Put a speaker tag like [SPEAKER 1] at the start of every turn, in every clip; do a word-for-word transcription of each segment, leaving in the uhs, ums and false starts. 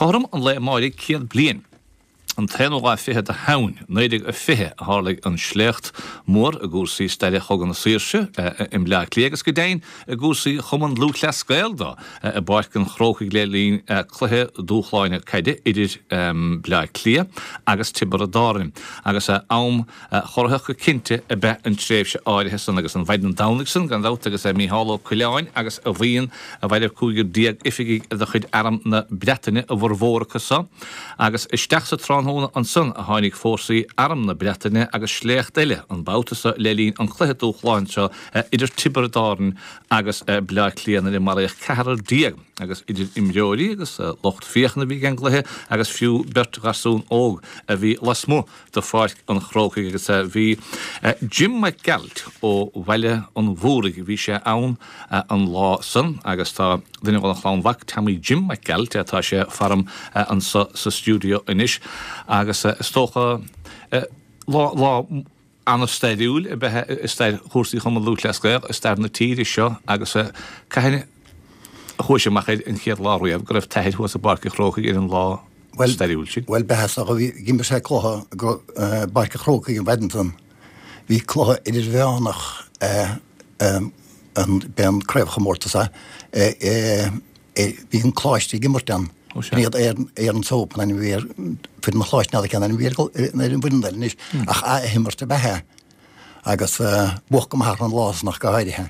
[SPEAKER 1] Cothrom an lae amáirigh céad bliain, an t-aonú lá fichead de Shamhain, naoi déag a fiche, a tharlaigh an sléacht mór i gcúrsaí staire Chogadh na Saoirse i mBleá Cliath agus go deimhin i gcúrsaí Chumann Lúthchleas Gael dó i bPáirc an Chrócaigh le linn cluiche dúshláin caide idir Bleá Cliath agus Tiobraid Árann agus am corraitheach go cinnte ab ea an tréimhse áirithe san agus an mhaidin Domhnaigh san gan dabht agus Mícheál Ó Coileáin agus a bhuíon a mhairbh cúigear déag oifigigh de chuid Arm na Breataine, a bhformhór acu so, agus isteach sa tráthnóna ansan a tháinig fórsaí Arm na Breataine agus sléacht eile, an babhta so le linn an chluiche dúshláin seo idir Tiobraid Árann agus Bleá Cliath nuair a maraíodh ceathrar déag agus idir imreoirí agus lucht féachana a bhí ag an gcluiche agus fiú beirt gharsún óg a bhí lasmuigh de Pháirc an Chrócaigh agus bhí Jim Mac Gearailt ó Bhaile an Mhúraigh, bhí sé ann an lá san agus tá duine dhona chlann mhac, Tommy Jim Mac Gearailt, tá sé faram anso sa stiúideo anois agus is dócha lá lá an-stairiúil ab ea i stair chúrsaí Chumann Lúthchleas Gael, i stair na tíre seo agus cathain a chuaigh sé amach air an chéad lá riamh go raibh t'athair thuas i bPáirc an Chrócaigh ar an lá stairiúil sin?
[SPEAKER 2] Bhuel, b'ea, so bhí, d'imir sé cluiche i bPáirc an Chrócaigh an mhaidin san. Bhí cluiche idirmheánach, b'é an craobhchomórtas é, bhí an Coláiste ag imirt ann. B'in iad Erin's Hope an ainm a bhí ar foireann an Choláiste, n'fheadar cén ainm a bhí ar an bhfoireann eile anois, ach athimirt ab ea é. Agus buadh go maith orthu an lá san ach go háirithe.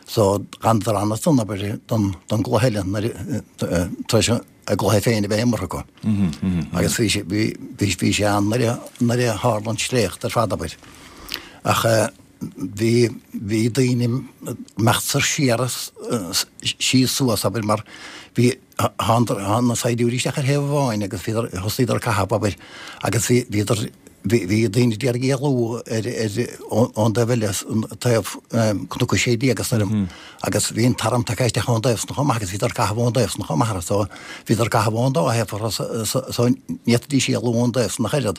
[SPEAKER 2] So d'fhanadar ansan, abair, don gcluiche eile nuair tar éis a gcluiche féin a bheith imeartha acu. Agus bhí sé, bhí, bhí sé ann nuair a, nuair a tharla an sléacht ar fad, abair. Ach bhí, bhí daoine ag imeacht soir siar síos suas, abair, mar bhí, thánadar, tháinig na saighdiúirí isteach ar thaobh amháin agus bhíodar, thosaíodar ag caitheamh, abair, agus bhí, bhíodar, bhí, bhí daoine ag iarraidh éalú ar, ar, ón dtaobh eile, taobh Cnoc a Sé Déag is agus bhí an t-arm tagtha isteach ón dtaobh san chomh maith agus bhíodar ag caitheamh ón dtaobh san chomh maith so bhíodar ag caitheamh ón dá thaobh so so ní fhéadfaidís éalú ón dtaobh san ach oiread.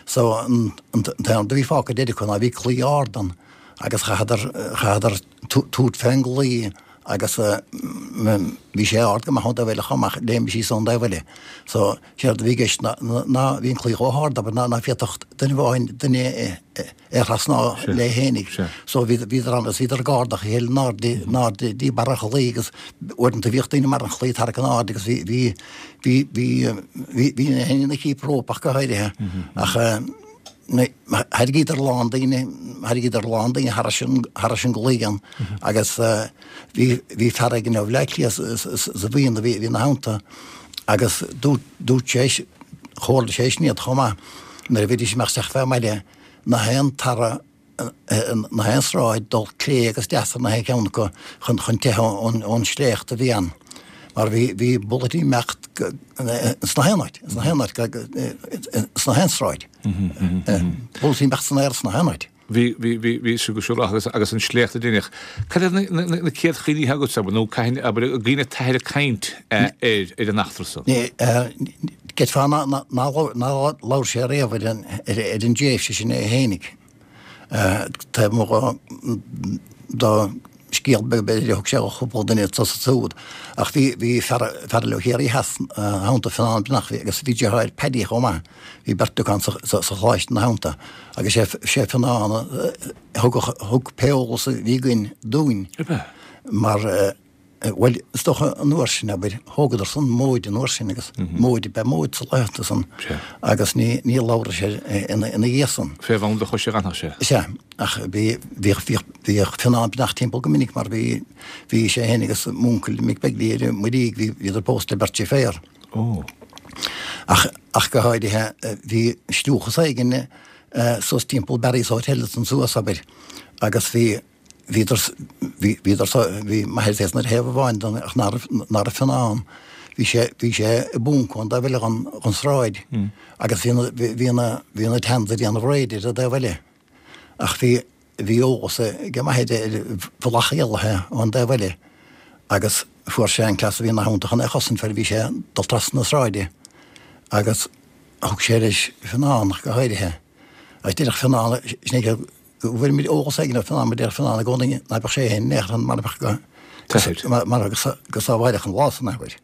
[SPEAKER 2] So an t-aon rud a bhí fágtha deiridh acu ná bhí claí ard ann agus chaitheadar chaitheadar tabhairt fén gclaí agus bhí sé ard go maith ón dtaobh eile chomh maith, léim síos ón dtaobh eile. So séard a bhí i gceist ná ná bhí an claí chomh hard abair ná ná féadfadh duine amháin duine é a thrasná léi fhéinig. So bhíodar ann agus bhíodar ag ardach a chéile in airde in airde dtí barr an chlaí agus uaireanta bhíodh daoine i mbarr an chlaí ag tarrac in airde agus bhí bhí bhí bhí bhí bhí na héinne ina cheap rópa ach go háirithe. Ach thairrigíodar a lán daoine thairrigíodar a lán daoine thairis an thairis an gclaí ann agus bhí bhí fear éigin ó Bhleá Cliath sa bhuíon a bhí a bhí ina theannta agus dúirt dúirt sé chomhairligh sé sin iad chomh maith nuair a bhídís ag imeacht isteach fé mbaile na haon tarra na haon sráid dul clé agus deas ar na haon cheann acu chun chun teitheadh ón ón sléacht a bhí ann mar bhí bhí bullaití ag imeacht sna haon áit sna haon áit sna haon sráid bullaití ag imeacht san aer sna haon áit.
[SPEAKER 1] Bhí bhí bhí bhí sé go siúr agus agus an sléacht a deineadh. Cad iad na na na céad chuimhní agat nó cathain abair an gcuimhin le t'athair ag caint ar ar an eachtra san?
[SPEAKER 2] D'fhéadfá nár labhair sé riamh ar an dtréimhse sin é fhéinig. Taobh amuigh de scéal beag b'fhéidir a thug sé do chúpla duine anso is ansúd. Ach bhí bhí fear fear eile ó Chiarraí Theas ina theannta Fionán Breathnach agus bhí deartháir Paddy chomh maith, bhí beirt acu ann sa Choláiste ina theannta agus sé sé Fionán a thug thug pé eolas a bhí againn dúinn mar Bhuel, is dócha an uair sin, abair, thógadar san móid an uair sin agus móid ab ea móid sa laethanta san agus ní, ní labhradh sé ina, ina dhiaidh san.
[SPEAKER 1] Fé bhun do choise a dh'fhanfadh sé.
[SPEAKER 2] Sea, ach bhí, bhíodh, bhíodh, bhíodh Fionán Breathnach timpeall go minic mar bhí, bhí sé féin agus m'uncail Mick Begley ar an Muirígh, bhí, bhíodar pósta le beirt deirféar.
[SPEAKER 1] Ó.
[SPEAKER 2] Ach, ach go háirithe, bhí sealúchas éigin suas timpeall Barry's Hotel ansan suas, abair, agus bhí, Bhíodar, bhíodar, bhí m'athair féin ar thaobh amháin den, ach ná raibh, ná raibh Fionán, bhí sé, bhí sé i bponc ón dtaobh eile den, den sráid agus bhí na, bhí na, bhí na Tans ag déanamh raid ar an dtaobh eile. Ach bhí, bhí eolas ag m'athair ar bhealach éalaithe ón dtaobh eile agus fuair sé an cleas a bhí ina theannta chun é a chosaint far a bhí sé ag dul trasna na sráide agus thug sé leis Fionán ach go háirithe. Agus deireadh Fionán, sin é go bhfuair muid eolas éigin ó Fionán, mar deir Fionán i gcónaí ná beadh sé féin in aon chor ann mara mbeadh go go sábháileach an lá san, abair.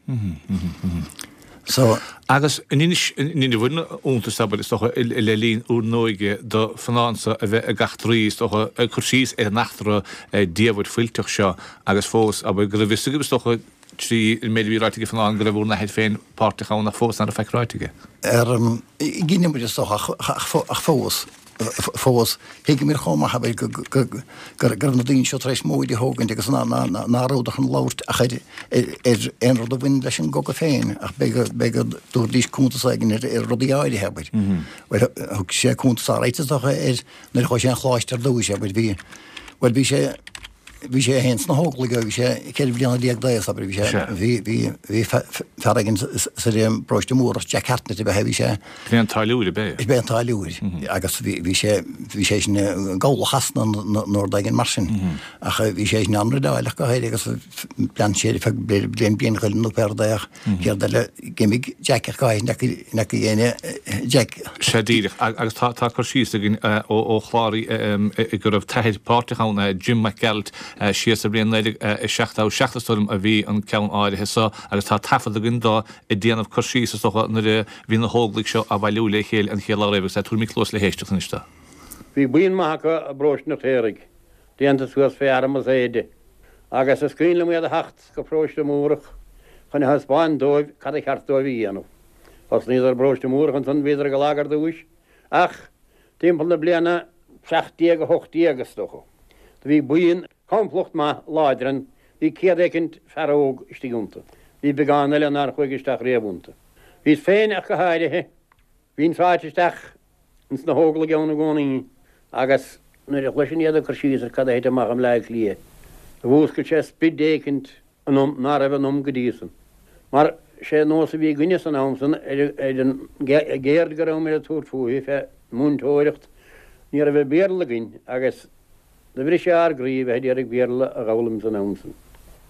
[SPEAKER 2] So.
[SPEAKER 1] Agus an inis an bhfuil iontas, abair, is dócha, le linn bhur n-óige do Fionán-sa a bheith ag eachtraí, is dócha, ag cur síos ar an eachtra diamhair fuilteach seo agus fós, abair, go raibh fhios agaibh, is dócha, trí an méid a bhí ráite ag Fionán go raibh bhur n-athair féin páirteach ann ach fós nach raibh faic ráite aige.
[SPEAKER 2] Ar gcinneadh muid, is dócha, ach fós. Fós, thuigeamar chomh maith, abair, go raibh na daoine seo tar éis móid a thógaint agus ná rabhadar chun labhairt ach ar aon rud a bhain leis an gcogadh féin, ach b'fhéidir go dtabharfaidís cuntas éigin ar rudaí áirithe, abair. Bhuel, thug sé cuntas áirithe, is dócha, ar nuair a chuaigh sé an Choláiste ar dtús, abair, bhí, bhuel, bhí sé, Bhí sé féin sna hÓglaigh ó bhí sé ceithre bliana déag d'aos, abair, bhí sé, bhí, bhí, bhí fear éigin sa bparóiste Múrach, Jack Hartnett ab ea é, bhí sé.
[SPEAKER 1] B'é an táilliúir ab ea
[SPEAKER 2] é? B'é an táilliúir agus bhí, bhí sé, bhí sé sin i gcabhlach Shasana nó rud éigin mar sin. Ach bhí sé sin an-rideáileach go háirithe agus lean sé ar feadh bliain, bliain chuile nó pé rud é ach céard eile, d'imigh Jack ach go háirithe nach bhfaca éinne Jack.
[SPEAKER 1] Sea díreach, agus tá, tá cur síos againn ó chláraí go raibh t'athair páirteach ann, Jim Mac Gearailt, siar sa bhliain naoi déag seachtó seacht is dóigh liom a bhí an ceann áirithe so agus tá taifead againn dó ag déanamh cur síos is dócha nuair a bhí na hÓglaigh seo á bhailiú le chéile an chéad lá riamh agus tabharfaimid cluas le héisteacht anois dó.
[SPEAKER 3] Bhí buíon maith acu i bparóiste an Fheirtéaraigh, déanta suas fé arm is éide, agus is cuimhin liom iad a theacht go paróiste Múrach chun a thaispeáint dóibh cad a cheart dóibh a dhéanamh. Thosnaíodar i bparóiste Múrach ansan, bhíodar go lag ar dtúis, ach timpeall na bliana seacht déag a hocht déag, is dócha, do bhí buíon, complacht maith láidir ann, bhí céad éicint fear óg istigh iontu. Bhí beagán eile nár chuaigh isteach riamh iontu. Bhíos féin ach go háirithe, bhínn sáite isteach ins na hÓglaigh ann i gcónaí agus nuair a chloisinn iad ag cur síos ar cad a thit amach i mBleá Cliath, mhúscail sé sprid éicint ionam ná raibh ionam go dtí san. Mar sé nós a bhí againne san am san ar an gceird go rabhamair ag tabhairt fúithi, fé mhúinteoireacht, ní raibh an Béarla againn agus do bhris sé ár gcroí bheith ag iarraidh Béarla a dh'fhoghlaim san am san.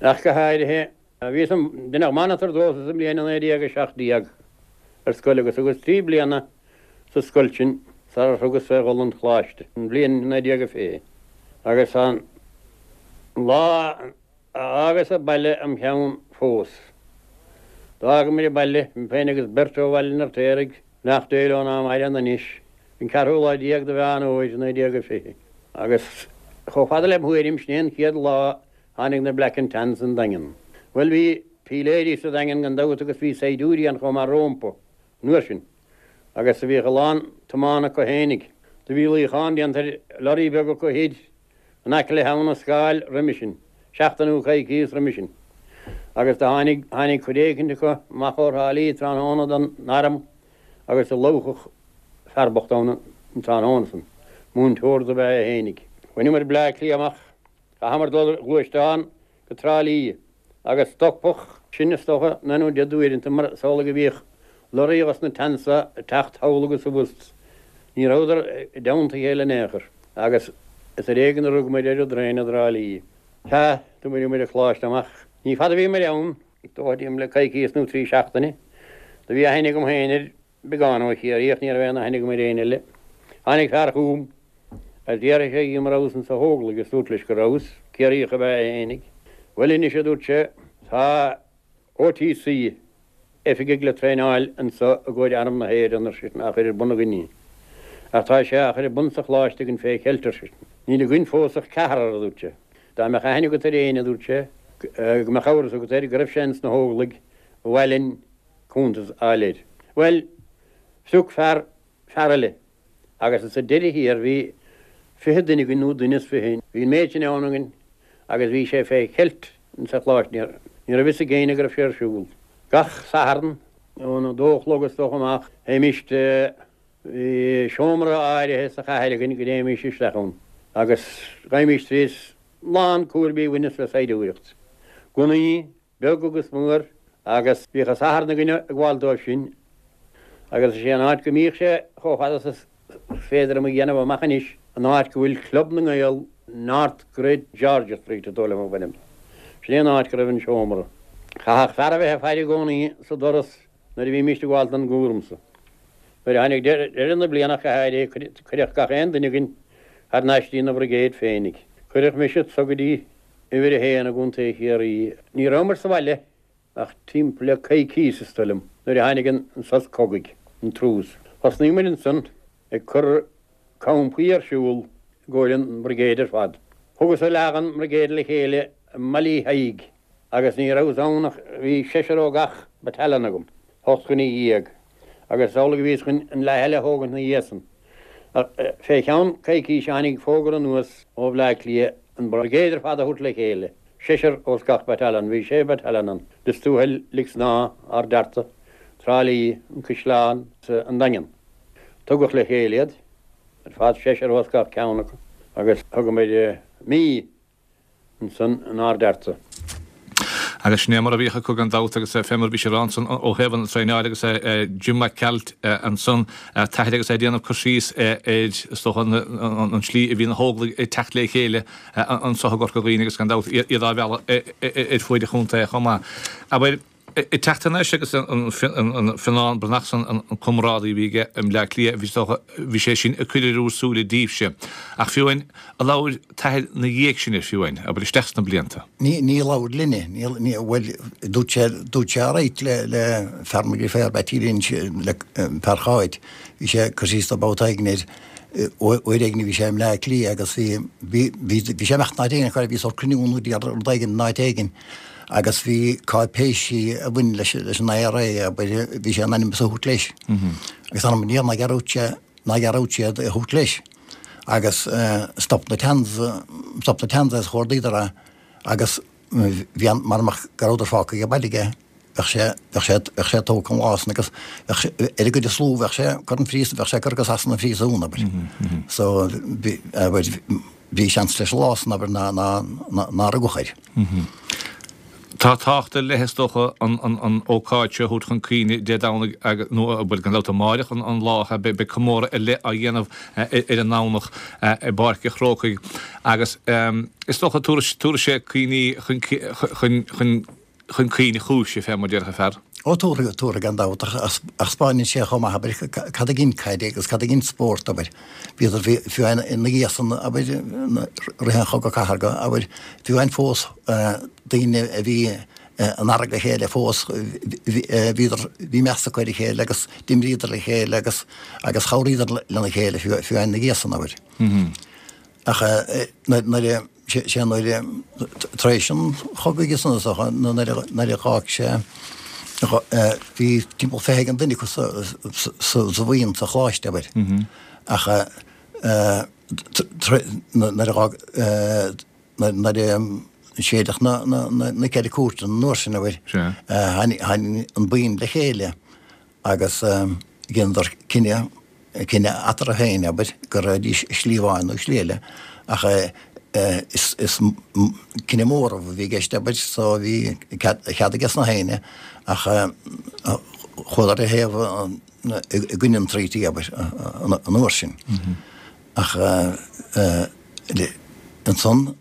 [SPEAKER 3] Ach go háirithe, bhíos im, deineadh monitor domhsa sa mbliain naoi déag a seacht déag ar scoil agus thugas trí bliana sa scoil sin sarar thugas fé dhul 'on Choláiste, an bhliain naoi déag a fiche. Agus an lá a fhágas an baile im cheann fós. D'fhágamair an baile, mé féin agus beirt ó Bhaile an Fheirtéaraigh, beannacht Dé leo ná maireann anois, an ceathrú lá déag de Mheán Fhómhair, naoi déag a fiche. Agus chomh fada lem thuairim, sin é an chéad lá tháinig na Black and Tans 'on Daingean. Bhuel, bhí píléirí sa Daingean gan dabht agus bhí saighdiúirí ann chomh maith rómpa an uair sin agus bhíodh a lán tiomána acu fhéinig. Do bhí luíochán déanta ar lorry beag acu thoir in aice le hAbha na Scáil roimhe sin, seachtain nó coicíos roimhe sin. Agus do tháinig, tháinig cuid éicint acu amach ó Thrá Lí tráthnóna don arm agus do lobhadh fear bocht ann an tráthnóna san. Múinteoir dob ea é fhéinig. Bhaineamair Bleá Cliath amach. Chaitheamair dul ar ghluaisteán go Trá Lí agus stopadh sinn is dócha naoi nó deich d'uaireanta mar is amhlaidh a bhíodh lorraí dhos na Tans ag teacht thall agus abhus. Ní rabhadar i dteannta a chéile in aon chor agus is ar éigean a rugamair ar an dtraein i dTrá Lí. Sea, do bhaineamair an Coláiste amach. Ní fada a bhíomair ann, is dóigh liom le coicíos nó trí seachtaine. Do bhí aithne agam féin ar beagán ó Chiarraí ach ní raibh aon aithne agam ar éinne eile. Tháinig fear chugam agus d'fhiafraigh sé dhíom an rabhas insa Hóglaigh agus dúrt leis go rabhas, Ciarraíoch ab ea é fhéinig. Bhuel anois, a dúirt sé, tá OTC, oifigigh le traenáil anso i gcomhair Arm na hÉireann, ar seisean, á chur ar bun againn. Ach tá sé á chur ar bun sa Choláiste againn fé cheilt, ar seisean. Níl againn fós ach ceathrar, a dúirt sé. Dá mbeadh aithne agat ar éinne, a dúirt sé, go mbeadh amhras agat air go raibh sé ins na hÓglaigh, ba mhaith linn cuntas a fháil air. Bhuel, phioc fear fear eile agus sa deireadh thiar bhí fiche duine againn nó duine is fiche, bhí an méid sin ann againn agus bhí sé fé cheilt insa Choláiste, ní raibh fhios ag éinne go raibh sé ar siúl. Gach Satharn ón a dó a chlog is dócha amach, théimist, bhí seomra áirithe sa chathair againn go dtéimís isteach ann agus ghabhaimis trí lán cúraimí a bhaineas le saighdiúireacht, gunnaí, beag agus mór, agus bhíodh an Satharn againn ag gabháil dóibh sin, agus is é an áit go mbíodh sé, chomh fada is is féidir liom a dhéanamh amach anois, an áit go bhfuil Club na nGael, North Great George Street, is dóigh liom a bhfuilim. Sin é an áit go raibh an seomra. Chaithfeadh fear a bheith ag faire i gcónaí sa doras nuair a bhímíst ag gabháil don gcúram so. Nuair a tháinig deireadh na bliana ach go háirithe, cuireadh gach aon duine againn thar n-ais dtína bhrigéid féinig. Cuireadh mise anso go dtí uimhir a haon i gContae Chiarraí. Ní rabhamar sa bhaile ach timpeall le coicís is dóigh liom nuair a tháinig an sos cogaidh, an truce. Thosnaigh muid ansan ag cur campaí ar siúl i gcomhair an brigade ar fad. Thugas leath den mbrigéad le chéile i mBaile Thaidhg agus ní rabhas ann ach bhí seisear ó gach battalion agam, ocht dhuine dhéag, agus is amhlaidh a bhíos chun an leath eile a thógaint ina dhiaidh san. Ach fé cheann coicíse tháinig fógra anuas ó Bhleá Cliath an brigade ar fad a thabhairt le chéile, seisear ós gach battalion, bhí sé battalion ann, Lios Tuathail, Lic Snámha, Ard Fhearta, Trá Lí, An Caisleán, an Daingean. Tugadh le chéile iad ar fad, seisear ós gach ceann acu, agus thugamair mí ansan in Ard Fhearta.
[SPEAKER 1] Agus sin é mar a bhíodh acu gan dabht agus fé mar a bhí sé ansan ó thaobh an traenáil agus Jim Mac Gearailt ansan t'athair agus é ag déanamh cur síos ar is dócha an tslí a bhí na hÓglaigh ag teacht le chéile anso i gCorca Dhuibhne agus gan dabht iad á mhealladh ar fuaid an chontae chomh maith. Abair, ag teacht thar n-ais agus an Fionnán Breathnach san, an comrádaí a bhí aige i mBleá Cliath, bhí, is dócha, bhí sé sin ag cur ar bhur súile daoibhse. Ach fiú amháin, ar labhair t'athair 'na dhiaidh sin air fiú amháin, abair isteach sna blianta.
[SPEAKER 2] Ní, ní labhair linne, ní, ní, bhuel, dúirt sé, dúirt sé alright le, le fear mo dheirféar, Beaití Lynch, le fear Cháit, bhí sé ag cur síos dó babhta éigin air, uair éigin a bhí sé i mBleá Cliath agus bhí, bhí, bhí, bhí sé ag imeacht in áit éigin, bhí sórt cruinniú nó rud éigin in áit éigin. Agus bhí cáipéisí a bhain leis leis an I R A, abair, bhí sé in ainm is a thabhairt leis. Agus anam níor ná raibh sé ná raibh sé a thabhairt leis. Agus stop na Tans stop na Tans agus chuardaíodar é agus bhí an mar mach go rabhadar fágtha ag baile aige bheadh sé bheadh sé bheadh sé tógtha an lá san agus bheadh sé ar a gcuid slú bheadh sé curtha chun phríosún bheadh sé curtha go Sasana phríosún abair. So bhí abair bhí seans leis an lá san abair ná ná ná rugadh air.
[SPEAKER 1] Tá tábhacht ar leith is dócha an an an ócáid seo a thabhairt chun cuimhne Dé Domhnaigh agus nó bhuel gan dabht amáireach an an lá beidh beidh comóradh ar leith á dhéanamh ar an nDomhnach i bPáirc an Chrócaigh agus is dócha tabharfaidh tabharfaidh sé cuimhní chun chun chun chun cuimhne chúise fé mar déarfadh fear.
[SPEAKER 2] Ó tabharfaidh tabharfaidh gan dabht ach ach 'spáineann sé chomh maith abair cad a ghin caide agus cad a ghin spórt abair. Bhíodar bhí fiú amháin ina dhiaidh san abair rith an Chogadh Cathartha abair fiú amháin fós daoine a bhí in fhearg a chéile fós bhíodar bhí meas acu ar a chéile agus d'imríodar le chéile agus agus chabhraíodar lena chéile fiú fiú amháin ina dhiaidh san abair. Ach nuair a sé nuair tar éis an chogaidh san is dócha nuair a nuair a dh'fhág sé bhí timpeall fiche éigin duine acu sa sa bhuíon sa choláiste abair. Ach nuair a dh'fhág nuair a séideadh na na na ceithre cúirteanna an uair sin abair tháinig tháinig an buíon le chéile agus dheineadar cinneadh cinneadh eatarthu féin abair go raghaidís slí amháin nó slí eile ach is is cinneadh mór a bhí i gceist abair so bhí cead cead aige sna héinne ach chuadar ar thaobh i gcoinne an treaty abair an uair sin. Ach ansan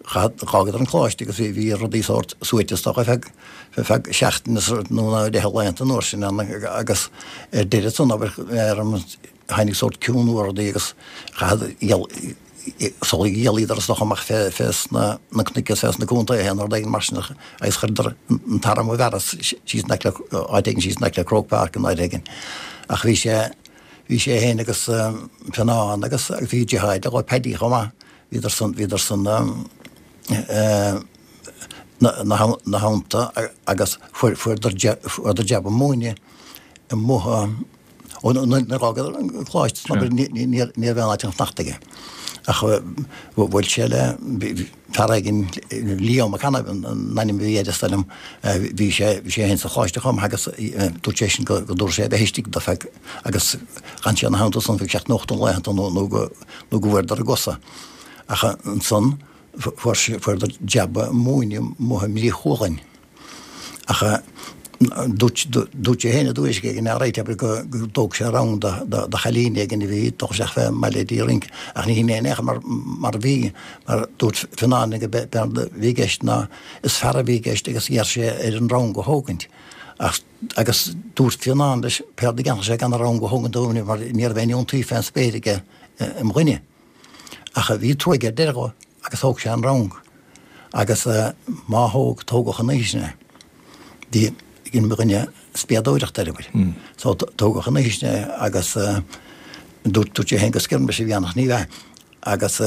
[SPEAKER 2] dh'fhágadar an coláiste agus bhí bhí rudaí sórt suaite is dócha feadh feadh seachtaine nó nó deich laethanta an uair sin ann agus ar deireadh san abair ar an tháinig sórt ciúnú ar rudaí agus chaith sul ghealaíodar is dócha amach fé fé sna na cnoic is fé sna contaetha nó rud éigin mar sin agus chuireadar an t-arm i bhfearas síos in aice le áit éigin síos in aice le Croke Park in áit éigin. Ach bhí sé bhí sé féin agus Fionnán agus bhí deartháir dó Paddy chomh maith bhíodar san bhíodar san na na theannta agus fuair fuaireadar fuaireadar jab ag múineadh amuigh ó nuair a dh'fhágadar an coláiste ní ní ní raibh aon áit chun fanacht aige. Ach bhuail sé le fear éigin Leo McCann an ainm a bhí air is dóigh liom bhí sé bhí sé féin sa choláiste chomh maith agus dúirt sé sin go go dtabharfadh sé a bheith istigh do feadh agus d'fhan sé ina theannta san feadh seacht nó ocht laethanta nó nó go nó go bhfuaireadar a gcosa. Ach ansan fuair sé fuaireadar jab ag múineadh amuigh i mBrí Chualann. Ach dúirt dúirt sé féin i dtuairisc éigin alright abair go go dtóg sé rang do do do chailín éigin a bhí ag dul isteach fé mbaile ag rince ach ní hin é in aon chor mar mar a bhí mar dúirt Fionnán go b'éard a bhí i gceist ná is fear a bhí i gceist agus iarr sé air an rang a thógaint ach agus dúirt Fionnán leis péard a dhéanfadh sé gan an rang a thógaint dó mar ní raibh aon iontaoibh fén spéir aige im dhuine. Ach bhí trua aige ar deireadh dhó agus thóg sé an rang agus má thóg tógadh an oíche sin é. Dhein mo dhuine spiadóireacht air, abair. So tógadh an oíche sin é agus dúirt dúirt sé féin gur skirmish a bhí ann ach ní bhea. Agus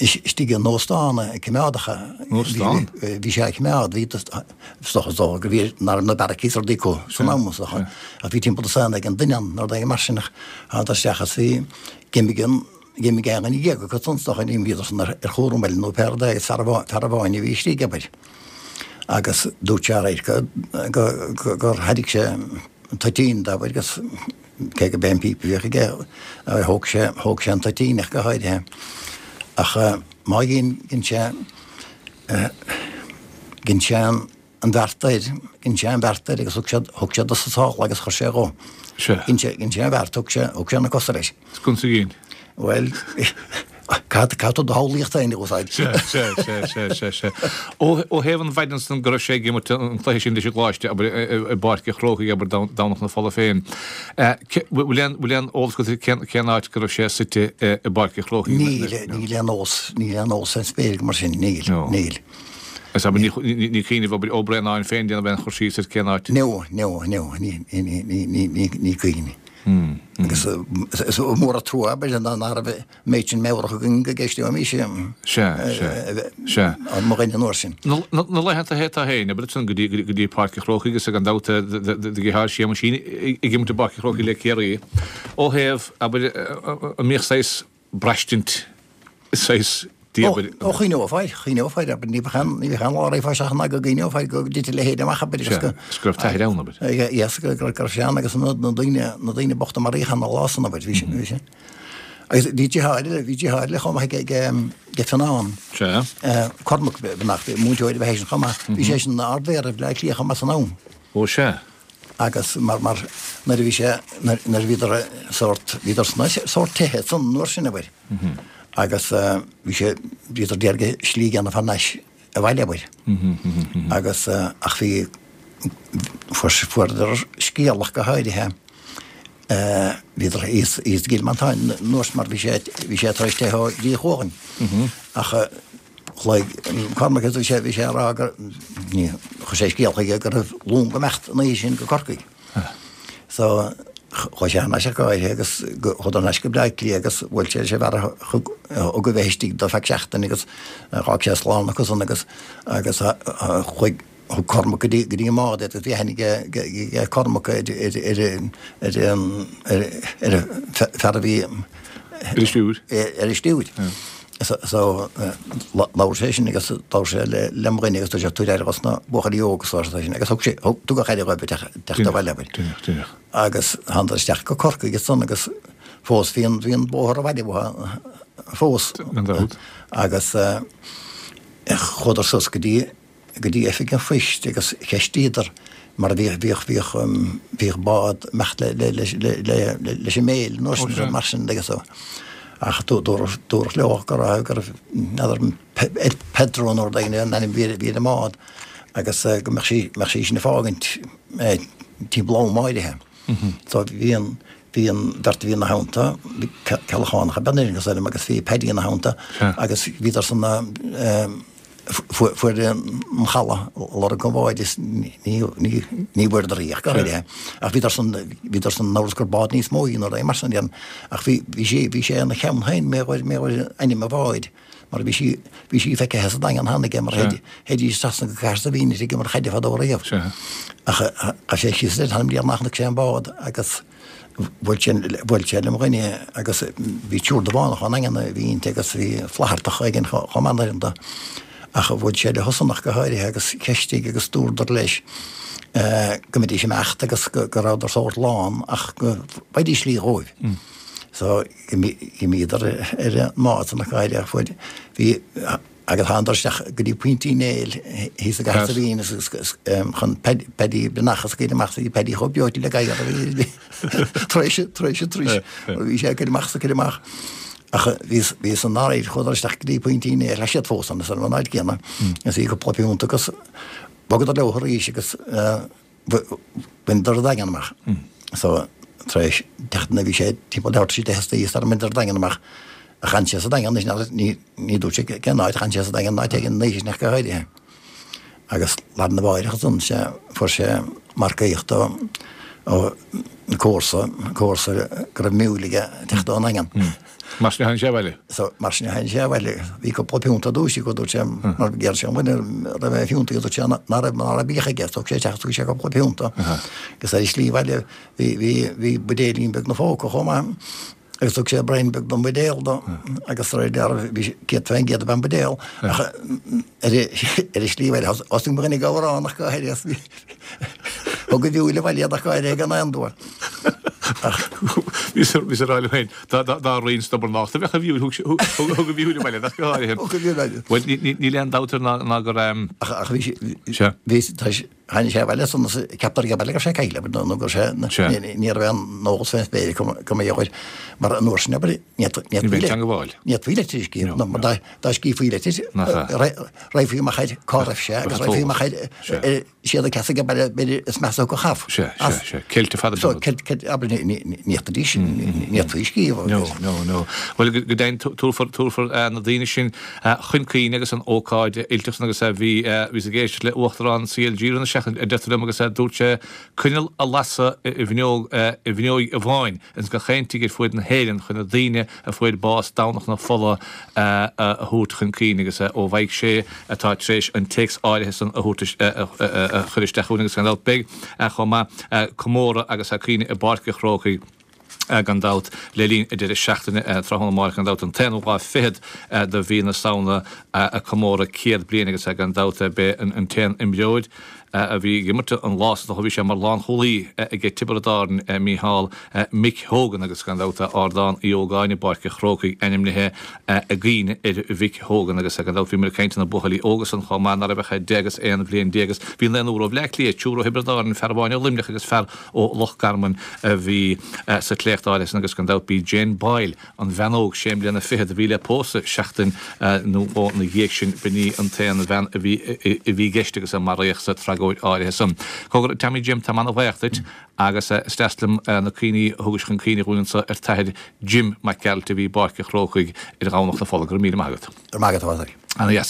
[SPEAKER 2] istigh in óstán coimeádach a
[SPEAKER 1] Óstán?
[SPEAKER 2] bhí sé á choimeád, bhí is dócha is dócha go bhí nach raibh na beairicí is rudaí acu san am is dócha. Ach bhí timpeall dosaen ag an duine ann nó rud éigin mar sin ach thánadar isteach agus bhí d'imigh an d'imigh aon dhuine déag acu san is dócha ní bhíodar san ar ar chúram eile nó pé rud é agus fear amháin fear amháin a bhí istigh abair. Agus dúirt sé aréir go gur thairg sé an toitín dó agus cé go b'é an píopa a bhíodh aige thóg sé thóg sé an toitín ach go háirithe. Ach má dhein dhein sé dhein sé an bheart air dhein sé an bheart air agus thug sé thug sé dos an sála agus chuir sé dhó. Dhein sé dhein sé an bheart thug sé thug sé na cosa leis.
[SPEAKER 1] Is gunsa ginn.
[SPEAKER 2] Bhuel, cad cad tú do shamhlaíocht féin a úsáid?
[SPEAKER 1] Sea, sea, sea, sea, sea, sea. Ó ó thaobh an mhaidin san go raibh sé ag imirt an cluiche sin leis an gColáiste, abair, i bPáirc an Chrócaigh, abair, Domhnach na Fola féin, bhfuil aon bhfuil aon eolas agat cén cén áit go raibh sé suite i bPáirc an Chrócaigh?
[SPEAKER 2] Níl, níl aon eolas, níl aon eolas ar spéir agam mar sin, níl, níl.
[SPEAKER 1] Is abair, ní ní ní cuimhin abair, Ó Braonáin féin déanamh aon chur síos ar cén áit?
[SPEAKER 2] No, no, no, ní ní ní ní ní ní cuimhin. Agus is mór an trua, abair, nach raibh an méid sin meabhrach againn go gceisteoimis
[SPEAKER 1] Sea, sea, sea.
[SPEAKER 2] mo dhuine an uair sin.
[SPEAKER 1] Na laethanta atá féin, abair, ansan go dtí go dtí Páirc an Chrócaigh agus gan dabht do dheartháir Séamuisín ag imirt i bPáirc an Chrócaigh le Ciarraí, ó thaobh, abair, an mbíodh saghas braistint, saghas
[SPEAKER 2] Ó, ó chuimhneofá air, chuimhneofá air, abair, ní bheadh aon, ní bheadh aon lá roimh isteach ná go gcuimhneofá air go dtitfeadh a leithéid amach, abair, agus go.
[SPEAKER 1] Sea, go raibh t'athair ann, abair.
[SPEAKER 2] Yes, go, go raibh sé ann agus na, na daoine, na daoine bochta maraíodh ann an lá san, abair, bhí sé, bhí sé. Agus bhí deartháir eile, bhí deartháir eile chomh maith ag, ag, ag Fionán.
[SPEAKER 1] Sea.
[SPEAKER 2] Cormac, Breathnach, múinteoir ab ea eisean chomh maith. Bhí seisean ina Ard-Mhéara Bhaile Átha Cliath chomh maith san am.
[SPEAKER 1] Ó, sea.
[SPEAKER 2] Agus mar, mar, nuair a bhí sé, nuair, nuair a bhíodar sórt, bhíodar sna sórt tithe san uair sin, abair. Agus bhí sé, bhíodar d'iarraidh slí a dhéanamh thar n-ais abhaile, abair. Agus, ach bhí, fuair, fuaireadar scéal ach go háirithe, bhíodar thíos, thíos i gCill Mhantáin an uair sin mar bhí sé, bhí sé tar éis teitheadh ó Dhí Chualann. Ach Ghlaoigh Cormac agus bhí sé, bhí sé ag rá gur, ní, chuir sé scéal chuige go raibh long ag imeacht an oíche sin go Corcaigh. So, chuaigh sé thar n-ais ach go háirithe agus chuadar thar n-ais go Bleá Cliath agus bhuail sé leis an bhfear a thug, a thug a bheith istigh dó feadh seachtaine agus dh'fhág sé slán acu san agus, agus chuaigh, Thug Cormac go dtí go dtí an mbád é agus bhí aithne ag Cormac ar ar ar an ar ar an fear a bhí
[SPEAKER 1] ar an stiúir.
[SPEAKER 2] Ar an stiúir. So labhair sé sin agus labhair sé le le mo dhuine agus dúirt sé tabhair aire dos na buachaillí óga so arsa sin agus thug sé thug tugadh aire dhóibh teacht abhaile abair. Agus thánadar isteach go Corcaigh ansan agus fós bhí an bhí an bóthar abhaile uathu fós. Agus chuadar suas go dtí go dtí oifig an phoist agus cheistíodar mar bhíodh bhíodh bhíodh bhíodh bád ag imeacht le le le le leis an Mail nó sin mar sin agus so ach dúradh dúradh leo go raibh go raibh n'fheadar Pedro nó rud éigin an ainm bhí bhí ar an mbád agus go mbeadh sí mbeadh sí sin ag fágaint timpeall am áirithe. So bhí an bhí an bheirt a bhí ina theannta bhí Ceallachánach ab ea an ainm agus bhí Paddy ina theannta agus bhíodar san Fuair an chaladh lorg an bháid is ní bhfuaireadar í ach go háirithe. Ach bhíodar san, bhíodar san in amhras gur bád níos mó í nó rud mar sin. Ach bhí, bhí sé, bhí sé ina cheann féin mé ghoir, mé ghoir ainm an bháid mar bhí sí, bhí sí feicthe sa Daingean cheana aige mar théidís trasna go Cahersiveen ag imirt chaide fadó riamh. Ach ghabh sé síos leis, th'anam 'lear nár chonaic sé an bád agus Bhuail sé, bhuail sé le mo dhuine agus bhí triúr de Bhánach ón nDaingean a bhí inti agus bhí Flaitheartach éigin chomh maith uaireanta. Ach bhuail sé le hOsanach go háirithe agus cheistigh agus dúradar leis go mbeidís ag imeacht agus go rabhadar sórt lán ach go bhfaighidís slí dhóibh. So dh'imíodar ar an mbád san ach go háirithe ach fuair, bhí, Agus thánadar isteach go dtí Pointe Uí Néill thíos i gCahersiveen chun Paddy Breathnach a scaoileadh amach bhí Paddy chomh breoite le gadhar a bhí tar éis tar éis tar éis bhí sé ag cur amach is ag cur amach. Ach bhí bhí san áirithe chuadar isteach go dtí Pointe Uí Néill tá siad fós ann san áit céanna is bhí cúpla piúnta agus bhogadar leo arís agus bhaineadar an Daingean amach. So tar éis seachtaine bhí sé timpeall leathuair tar éis a deich istoíche sara mbaineadar an Daingean amach. Ach chan sé sa Daingean anois, ní, ní dúirt sé cén áit, chan sé sa Daingean, áit éigin an oíche sin ach go háirithe. Agus lá arna mháireach ansan sea fuair sé marcaíocht ó ó comharsa, comharsa go raibh miúil aige ag teacht ón nDaingean.
[SPEAKER 1] Mar sin a tháinig sé abhaile?
[SPEAKER 2] So mar sin a tháinig sé abhaile. Bhí cúpla piúnta duais aige dúirt sé mar d'iarr sé an dhuine raibh aon phiúnta aige dúirt sé ná raibh ná raibh biadh aige thug sé isteach thug sé cúpla piúnta. Agus ar a shlí abhaile bhí bhí bhí buidéilín beag 'na phóca chomh maith. Agus thug sé braon beag den bhuidéal dó agus de réir dealraimh bhí céad faoin gcéad ab ea an buidéal ach ar a slí abhaile thosaigh mo dhuine ag amhrán ach go háirithe thug a mhiúil abhaile iad ach go háirithe gan aon dua.
[SPEAKER 1] Bhíos ag rá liom féin dá roinn stobharnachta a bheadh a mhiúil thug a mhiúil abhaile ach go háirithe.
[SPEAKER 2] Thug a mhiúil abhaile.
[SPEAKER 1] Bhuel níl aon dabht air ná gur.
[SPEAKER 2] Ach bhí sé bhí Tháinig sé abhaile ansan is ceaptar ag baile go raibh sé caillte nó go raibh sé ní raibh aon eolas fén spéir acu go mba dheoir mar an uair sin abair ní fhéadfaí litir a scríobh nó mar dá scríobhfaí litir raghfaí amach air cá raibh sé agus raghfaí amach air siad ag casadh ag baile b'fhéidir is measa go chaf
[SPEAKER 1] Sea, sea, sea. Ceilte fada
[SPEAKER 2] So ceilt ceilt abair ní fhéadfaidís ní fhéadfaí scríobh
[SPEAKER 1] No, no, no. Bhuel go deimhin tabharfar tabharfar na daoine sin chun cuimhne agus an ócáid fhuilteach san agus bhí bhíos ag éisteacht le Uachtarán CLG roimh na seachtain a deirtear liom agus dúirt sé coinneal a lasadh i bhfuinneog i bhfuinneoig amháin ins gach aon tigh ar fuaid na hÉireann chun na daoine a fuair bás Domhnach na Fola a thabhairt chun cuimhne agus ó Mhaidhc Sé atá tar éis an téacs áirithe san a thabhairt a chur isteach chugainn agus gan dabht beidh chomh maith comóradh agus cuimhne i bPáirc an Chrócaigh. Gan dabht, le linn an deireadh seachtaine, tráthnóna amárach, gan dabht, an t-aonú lá fichead de mhí na Samhna, comóradh céad bliain agus gan dabht b'é an t-aon imreoir a bhí ag imirt an lá san, bhí sé mar lánchúlaí aige Tiobraid Árann, Mícheál Mick Hogan agus gan dabht Ardán Uí Ógáin i bPáirc an Chrócaigh ainmnithe i gcuimhne ar Mhick Hogan agus gan dabht bhíomar ag caint ar na buachaillí óga san chomh maith, ná raibh ach deich agus aon bhliain déag agus bhí naonúr ó Bhleá Cliath, triúr ó Thiobraid Árann, fear amháin ó Luimneach agus fear ó Loch Garman a bhí sa tsléacht áirithe san agus gan dabht b'í Jane Boyle, an bhean óg sé mbliana fichead a bhí le pósadh seachtain nó dhó ina dhiaidh sin, b'in í an t-aon bhean a bhí a bhí i gceist agus a maraíodh sa tragóid áirithe san. Cogar, Tommy Jim, táim ana-bhuíoch duit agus is deas liom na cuimhní a thugais chun cuimhne dhúinn anso ar t'athair Jim Mac Gearailt a bhí i bPáirc an Chrócaigh ar Dhomhnach na Fola. Go raibh míle maith agat.
[SPEAKER 2] Go raibh maith agat, a Phádraig.
[SPEAKER 1] Ana-dheas.